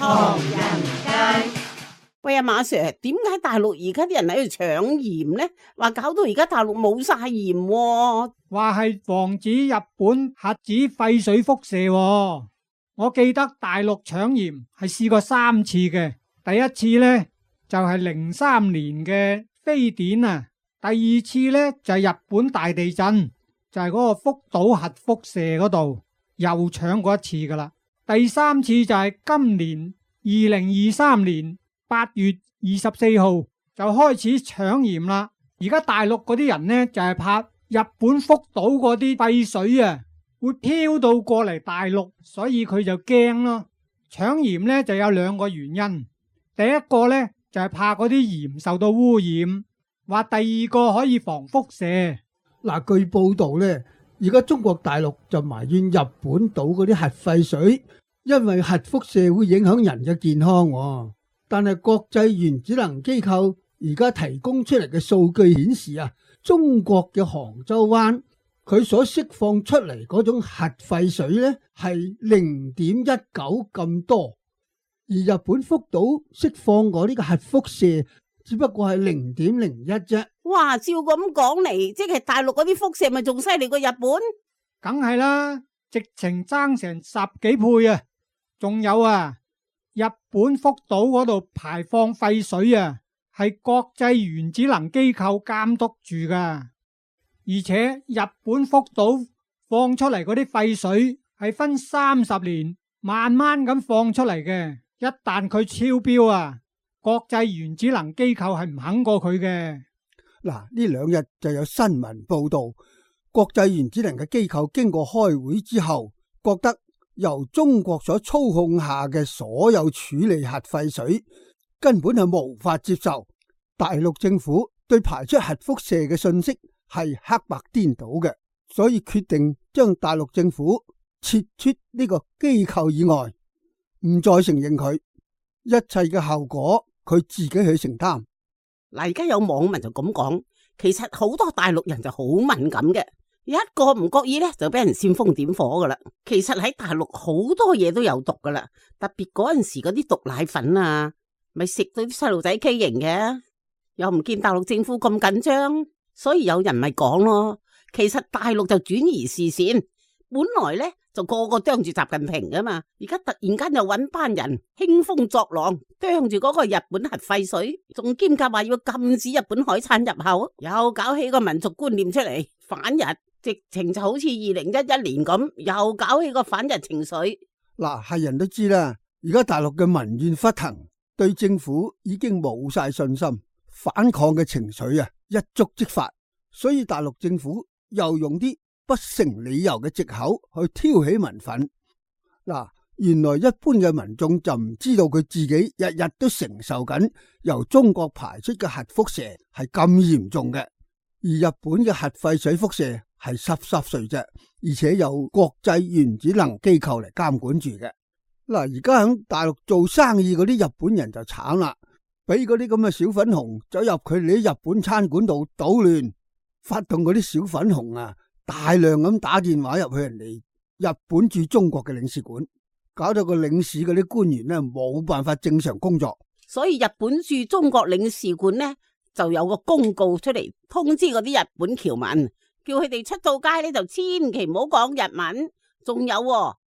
唐人街。喂啊，馬 Sir， 點解大陸而家啲人喺度搶鹽呢？話搞到而家大陸冇晒鹽喎。話係防止日本核子廢水輻射喎。我記得大陸搶鹽係試過3次嘅，第一次呢，就係03年嘅非典啊，第二次呢，就係日本大地震，就係嗰個福島核輻射嗰度又搶過一次噶啦，第三次就係今年2023年8月24號就開始搶鹽啦。而家大陸嗰啲人呢，就係怕日本福島嗰啲廢水啊會飄到過嚟大陸，所以佢就驚咯。搶鹽呢就有2個原因，第一個呢就係怕嗰啲鹽受到污染，話第二個可以防輻射。嗱，據報道呢，而家中國大陸就埋怨日本倒嗰啲核廢水，因為核輻射會影響人嘅健康喎。但係國際原子能機構而家提供出嚟嘅數據顯示啊，中國嘅杭州灣佢所釋放出嚟嗰種核廢水呢係0.19咁多，而日本福島釋放嗰啲嘅核輻射只不過係0.01啫。哇，照咁講嚟，即係大陸嗰啲輻射咪仲犀利過日本？梗係啦，直情爭成10幾倍啊！仲有啊，日本福島嗰度排放廢水啊，係國際原子能機構監督住噶。而且日本福島放出嚟嗰啲廢水係分30年慢慢咁放出嚟嘅，一旦佢超標啊，國際原子能機構係唔肯過佢嘅。嗱，呢2日就有新聞報道，國際原子能嘅機構經過開會之後，覺得由中國所操控下嘅所有處理核廢水根本係無法接受，大陸政府對排出核輻射嘅信息係黑白顛倒嘅，所以決定將大陸政府撤出呢個機構以外，唔再承認佢，一切嘅後果佢自己去承擔。嗱，而家有網民就咁講，其實好多大陸人就好敏感嘅，一個唔覺意咧就俾人煽風點火噶啦。其實喺大陸好多嘢都有毒噶啦，特別嗰陣時嗰啲毒奶粉啊，咪食到啲細路仔畸形嘅，又唔見大陸政府咁緊張，所以有人咪講咯。其實大陸就轉移視線，本來咧就個個啄住習近平噶嘛，而家突然間又搵班人興風作浪，啄住嗰個日本核廢水，仲兼夾話要禁止日本海產入口，又搞起個民族觀念出嚟，反日，直情就好似2011年咁，又搞起個反日情緒。嗱，係人都知啦，而家大陸嘅民怨沸騰，對政府已經冇晒信心，反抗嘅情緒啊一觸即發，所以大陸政府又用啲不成理由嘅藉口去挑起民憤。嗱，原來一般嘅民眾就唔知道佢自己日日都承受緊由中國排出嘅核輻射係咁嚴重嘅，而日本嘅核廢水輻射係濕碎啫，而且有國際原子能機構嚟監管住嘅。嗱，而家喺大陸做生意嗰啲日本人就慘啦，俾嗰啲咁嘅小粉紅走入佢哋啲日本餐館度搗亂，發動嗰啲小粉紅啊大量咁打電話入去人哋日本駐中國嘅領事館，搞到個領事嗰啲官員呢冇辦法正常工作。所以日本駐中國領事館呢就有個公告出嚟通知嗰啲日本僑民，叫佢哋出到街呢就千祈唔好講日文。仲有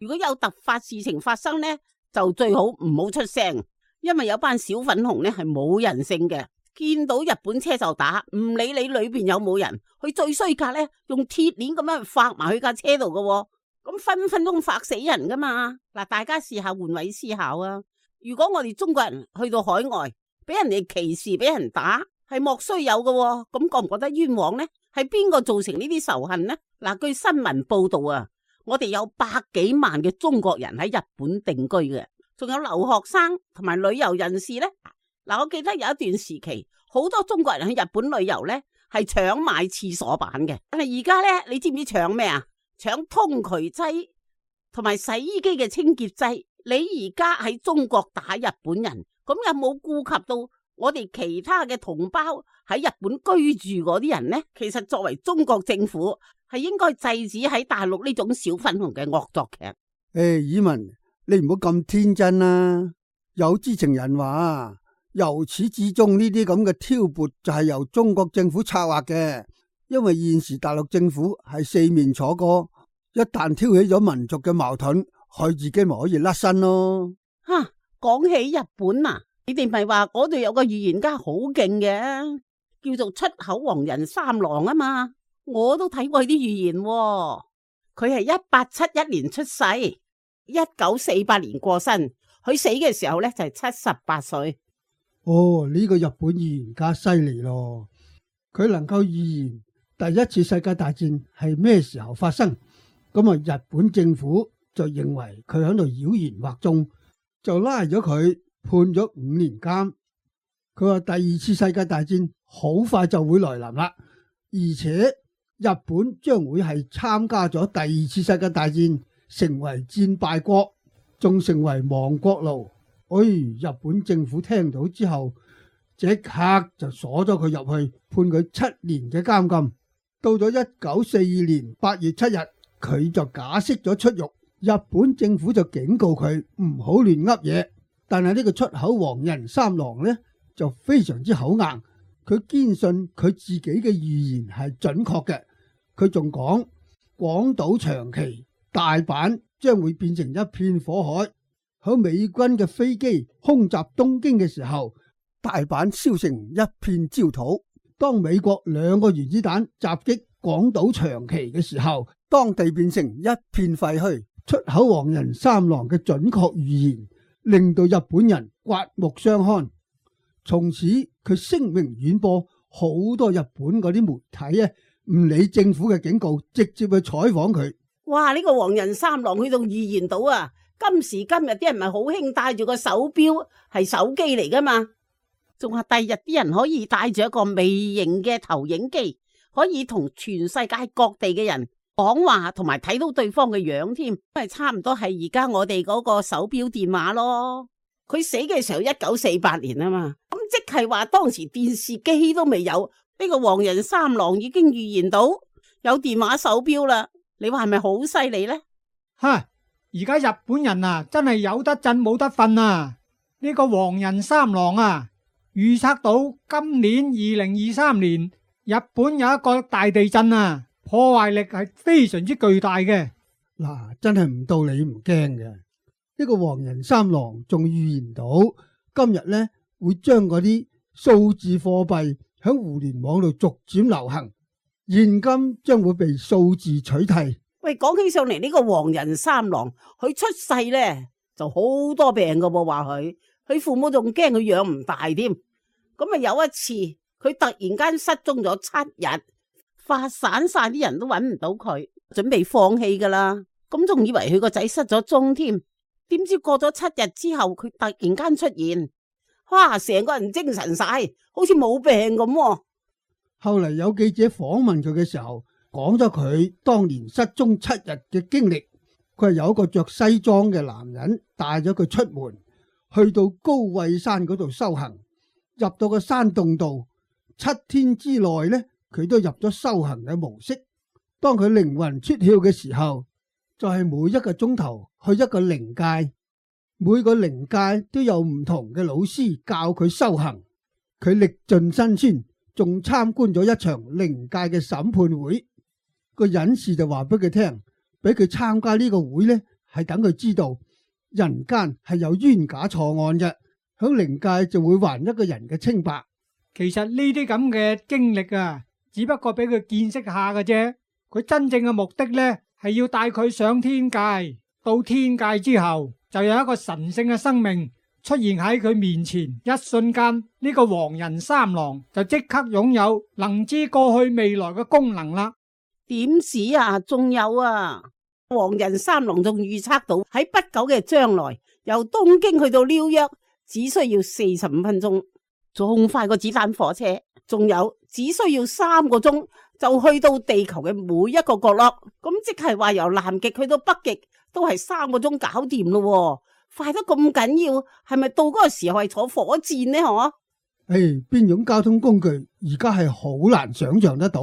如果有突發事情發生呢，就最好唔好出聲，因為有班小粉紅呢係冇人性嘅，見到日本車就打，唔理你裏邊有冇人，佢最衰格呢用鐵鏈咁樣發埋去架車度嘅，咁分分鐘發死人噶嘛。嗱，大家試下換位思考啊，如果我哋中國人去到海外俾人哋歧視俾人打，係莫須有嘅，咁覺唔覺得冤枉呢？係邊個造成呢啲仇恨呢？嗱，據新聞報道啊，我哋有100幾萬嘅中國人喺日本定居嘅，仲有留學生同埋旅遊人士呢。嗱，我記得有一段時期，好多中國人去日本旅遊呢係搶買廁所板嘅，但係而家呢，你知唔知搶咩啊？搶通渠劑同埋洗衣機嘅清潔劑。你而家喺中國打日本人，咁有冇顧及到我哋其他嘅同胞喺日本居住嗰啲人呢？其實作為中國政府係應該制止喺大陸呢種小粉紅嘅惡作劇。以文，你唔好咁天真啦。有知情人話，由始至終呢啲咁嘅挑撥就係由中國政府策劃嘅，因為現時大陸政府係四面楚歌，一旦挑起咗民族嘅矛盾，佢自己咪可以甩身咯。吓，講起日本啊，你哋咪話嗰度有個預言家好勁嘅，叫做出口黃人三郎啊嘛，我都睇過佢啲預言喎。佢係1871年出世，1948年過身，佢死嘅時候呢，就係78歲。哦，呢個日本預言家犀利咯，佢能夠預言第一次世界大戰係咩時候發生，咁啊日本政府就認為佢喺度妖言惑眾，就拉咗佢，判咗5年監。佢話第二次世界大戰好快就會來臨啦，而且日本將會係參加咗第二次世界大戰，成為戰敗國，仲成為亡國奴。日本政府聽到之後，即刻就鎖咗佢入去，判佢7年嘅監禁。到咗1942年8月7日，佢就假釋咗出獄。日本政府就警告佢唔好亂噏嘢，但係呢個出口黃人三郎呢，就非常之口硬，佢堅信佢自己嘅預言係準確嘅。佢仲講廣島、長崎、大阪將會變成一片火海。喺美軍嘅飛機空襲東京嘅時候，大阪燒成一片焦土。當美國2個原子彈襲擊廣島、長崎嘅時候，當地變成一片廢墟。出口黃人三郎嘅準確預言令到日本人刮目相看，從此佢聲名遠播，好多日本嗰啲媒體唔理政府嘅警告，直接去採訪佢。哇！呢個黃人三郎佢仲預言到啊，今時今日啲人咪好興戴住個手錶，係手機嚟噶嘛，仲話第日啲人可以帶住一個微型嘅投影機，可以同全世界各地嘅人講話，同埋睇到對方嘅樣添，係差唔多係而家我哋嗰個手錶電話咯。佢死嘅時候1948年啊嘛，咁即係話當時電視機都未有，呢個黃人三郎已經預言到有電話手錶啦。你話係咪好犀利呢？而家日本人啊，真係有得震冇得瞓啊！呢個黃人三郎啊，預測到今年2023年日本有一個大地震啊，破壞力係非常之巨大嘅。真係唔到你唔驚嘅。呢個黃人三郎仲預言到今日呢會將嗰啲數字貨幣喺互聯網度逐漸流行，現金將會被數字取替。喂，講起上嚟呢個黃人三郎，佢出世呢就好多病噶噃，話佢父母仲驚佢養唔大添。咁啊有一次佢突然間失蹤咗7日，發散晒啲人都揾唔到佢，準備放棄噶啦。咁仲以為佢個仔失咗蹤添，點知過咗7日之後，佢突然間出現，哇！成個人精神晒，好似冇病咁。後嚟有記者訪問佢嘅時候，講咗佢當年失蹤7日嘅經歷。佢係有一個着西裝嘅男人帶咗佢出門，去到高位山嗰度修行，入到個山洞度，7天之內呢，佢都入咗修行嘅模式。當佢靈魂出竅嘅時候，就係每1個鐘頭去一個靈界，每個靈界都有唔同嘅老師教佢修行。佢歷盡辛酸，仲參觀咗一場靈界嘅審判會。個隱士就話俾佢聽，俾佢參加呢個會呢，係等佢知道人間係有冤假錯案嘅，響靈界就會還一個人嘅清白。其實呢啲咁嘅經歷啊，只不過俾佢見識下嘅啫。佢真正嘅目的呢，係要帶佢上天界。到天界之後，就有一個神聖嘅生命出現喺佢面前，一瞬間呢個黃人三郎就即刻擁有能知過去未來嘅功能啦。點止啊，仲有啊，黃人三郎仲預測到喺不久嘅將來，由東京去到紐約只需要45分鐘，仲快過子彈火車。仲有只需要3個鐘就去到地球嘅每一個角落，咁即係話由南極去到北極都係3個鐘搞掂咯。快得咁緊要，係咪到嗰個時候係坐火箭呢？邊種交通工具而家係好難想象得到。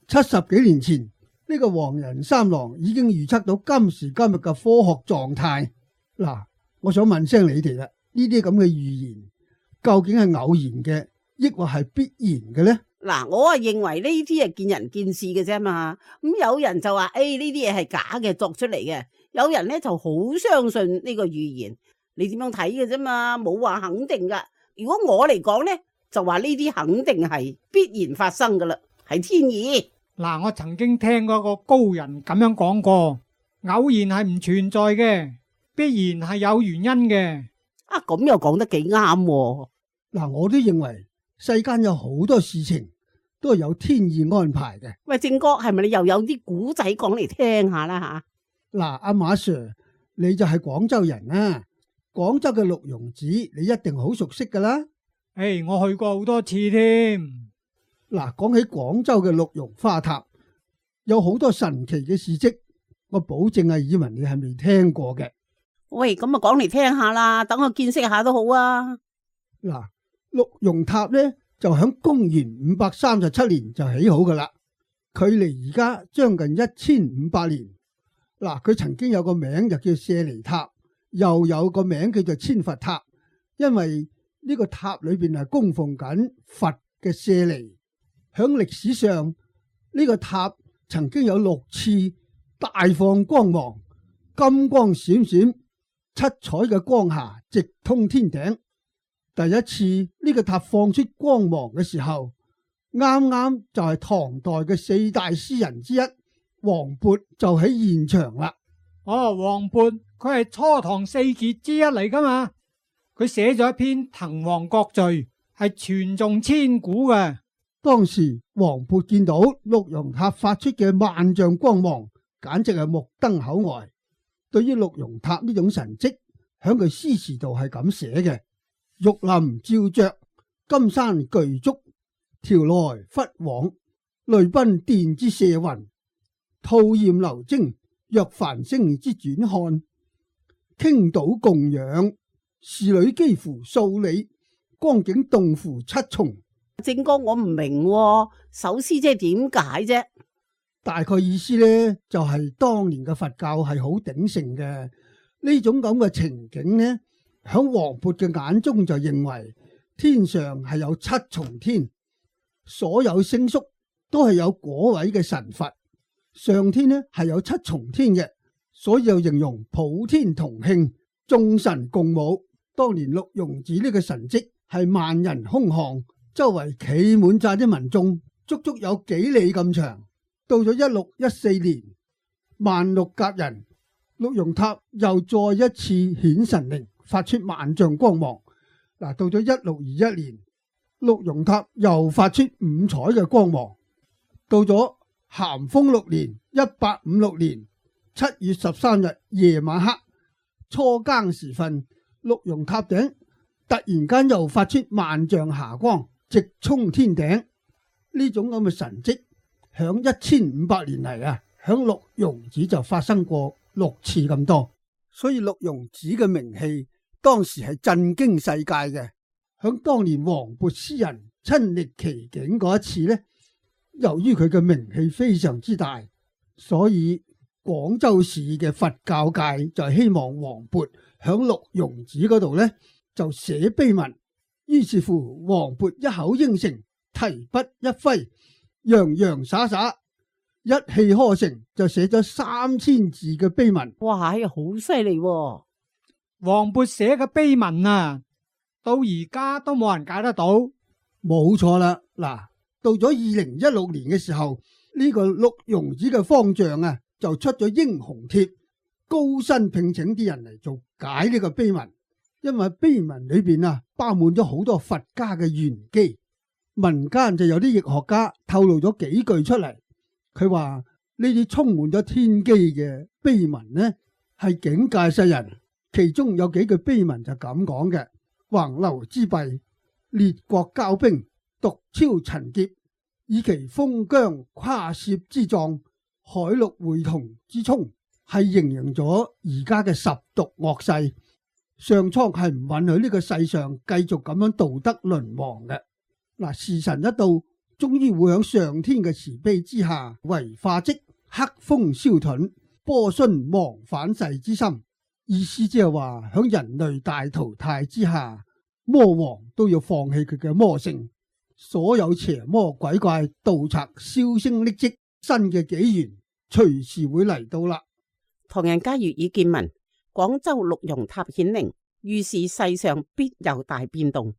70幾年前呢個黃人三郎已經預測到今時今日嘅科學狀態。我想問聲你哋啦，呢啲咁嘅預言究竟係偶然嘅，抑或係必然嘅呢？嗱，我啊認為呢啲係見仁見智嘅啫嘛。咁有人就話，呢啲嘢係假嘅，作出嚟嘅。有人咧就好相信呢個預言，你點樣睇嘅啫嘛？冇話肯定噶。如果我嚟講咧，就話呢啲肯定係必然發生噶啦，係天意。嗱，我曾經聽過個高人咁樣講過，偶然係唔存在嘅，必然係有原因嘅。啊，咁又講得幾啱喎。嗱，我都認為世間有好多事情都係有天意安排嘅。喂，正哥，係咪你又有啲古仔講嚟聽下啦吓？嗱，阿馬 Sir，你就係廣州人啊，廣州嘅六榕寺你一定好熟悉噶啦。我去過好多次添。嗱，講起廣州嘅六榕花塔，有好多神奇嘅事蹟，我保證啊，以為你係未聽過嘅。喂，咁啊講嚟聽下啦，等我見識下都好啊。嗱，六榕塔咧就響公元537年就起好噶啦，距離而家將近1500年。嗱，佢曾經有個名就叫舍利塔，又有個名叫做千佛塔，因為呢個塔裏邊係供奉緊佛嘅舍利。響歷史上呢個塔曾經有6次大放光芒，金光閃閃，七彩嘅光霞直通天頂。第一次呢個塔放出光芒嘅時候，啱啱就係唐代嘅4大詩人之一王勃就喺現場啦。王勃佢係初唐4傑之一嚟噶嘛，佢寫咗一篇《滕王閣序》，係傳頌千古嘅。當時王勃見到六榕塔發出嘅萬丈光芒，簡直係目瞪口呆。對於六榕塔呢種神蹟，響佢詩詞度係咁寫嘅：玉林照着，金山巨足，調來忽往，淚奔電之射雲，吐焰流晶，若繁星之轉看，傾倒供養，侍女幾乎數里，光景動乎七重。正哥，我唔明喎，首詩即係點解啫？大概意思呢，就係當年嘅佛教係好鼎盛嘅，呢種咁嘅情景呢，響王勃嘅眼中就認為天上係有七重天，所有星宿都係有嗰位嘅神佛，上天呢係有七重天嘅，所以又形容普天同慶，眾神共舞。當年六榕寺呢個神蹟係萬人空巷，周圍企滿晒啲民眾，足足有幾里咁長。到咗1614年，萬六甲人，六榕塔又再一次顯神靈，發出萬丈光芒。嗱，到咗1621年，六榕塔又發出五彩嘅光芒。到咗咸豐6年，1856年7月13日夜晚黑初更時分，六榕塔頂突然間又發出萬丈霞光，直衝天頂。呢種咁嘅神蹟響1500年嚟啊，響六榕寺就發生過6次咁多，所以六榕寺嘅名氣當時係震驚世界嘅。響當年王勃詩人親歷其境嗰一次呢，由於佢嘅名氣非常之大，所以廣州市嘅佛教界就希望王勃響六榕寺嗰度呢就寫碑文。於是乎王勃一口應承，提筆一揮，洋洋灑灑一氣呵成，就寫咗3000字嘅碑文。哇，好犀利喎！王勃寫嘅碑文啊，到而家都冇人解得到。冇錯啦，嗱，到咗2016年嘅時候，呢個六榕寺嘅方丈啊就出咗英雄帖，高薪聘請啲人嚟做解呢個碑文。因為碑文裏邊啊包滿咗好多佛家嘅玄機，民間就有啲易學家透露咗幾句出嚟。佢話呢啲充滿咗天機嘅碑文呢係警戒世人，其中有幾句碑文就咁講嘅：橫流之弊，列國交兵，獨超陳劫，以其封疆跨涉之狀，海陸會同之沖，係形容咗而家嘅十毒惡世。上蒼係唔允許呢個世上繼續咁樣道德淪亡嘅。嗱，時辰一到，終於會響上天嘅慈悲之下，為化積黑風消遁，波旬忘返世之心。意思即係話響人類大淘汰之下，魔王都要放棄佢嘅魔性，所有邪魔鬼怪、盜賊、銷聲匿跡，新嘅紀元隨時會嚟到啦。唐人街粵語見聞，廣州六榕塔顯靈，預示世上必有大變動。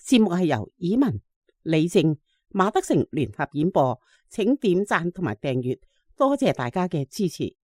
節目係由以文、李正、馬德成聯合演播，請點讚同埋訂閱，多謝大家嘅支持。